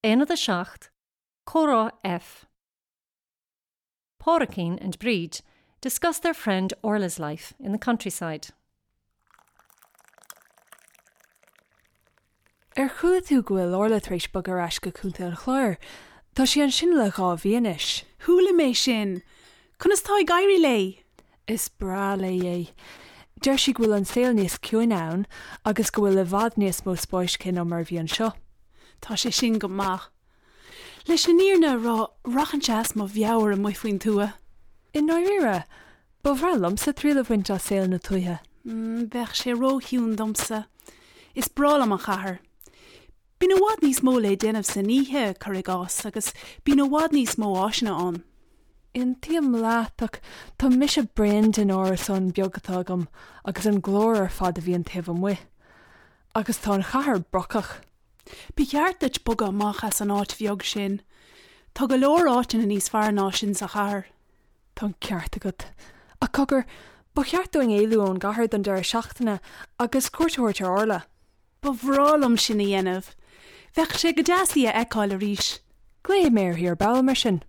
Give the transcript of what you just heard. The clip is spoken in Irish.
Aonad 7, Comhrá F. Pádraicín and Bríd discuss their friend Orla's life in the countryside. Ar chuala tú go bhfuil Orla tar éis bogadh ar ais go Contae an Chláir? Tá sí ansin le 2 mhí anois. Chuala mé sin. Conas tá ag éirí léi? Is breá léi é. Deir sí go bhfuil an saol níos ciúine ann agus go bhfuil i bhfad níos mó spáis aici ná mar a bhí anseo. Tá sé sin go maith. Leis an fhírinne a rá, rachainnse as mo mheabhair amuigh faoin tuath. I ndáiríre, ba bhreá liomsa triail a bhaint as saol na tuaithe. Bheadh sé róchiúin domsa. Is breá liom an chathair. Bíonn i bhfad níos mó le déanamh san oíche, cuir i gcás, agus bíonn i bhfad níos mó áiseanna ann. Aontaím leat, ach tá mise bréan den árasán beag atá agam agus an glór ar fad a bhíonn taobh amuigh. Agus tá an chathair brocach. Ba cheart duit bogadh amach as an áit bheag sin. Tá go leor áiteanna níos fearr ná sin sa chathair. Tá an ceart agat. Ach cogar, ba cheart dúinn éalú ón gcathair don deireadh seachtaine agus cuairt a thabhairt ar Orla. Ba bhreá liom sin a dhéanamh. Bheadh sé go deas í a fheiceáil arís. Glaofaidh mé uirthi ar ball mar sin.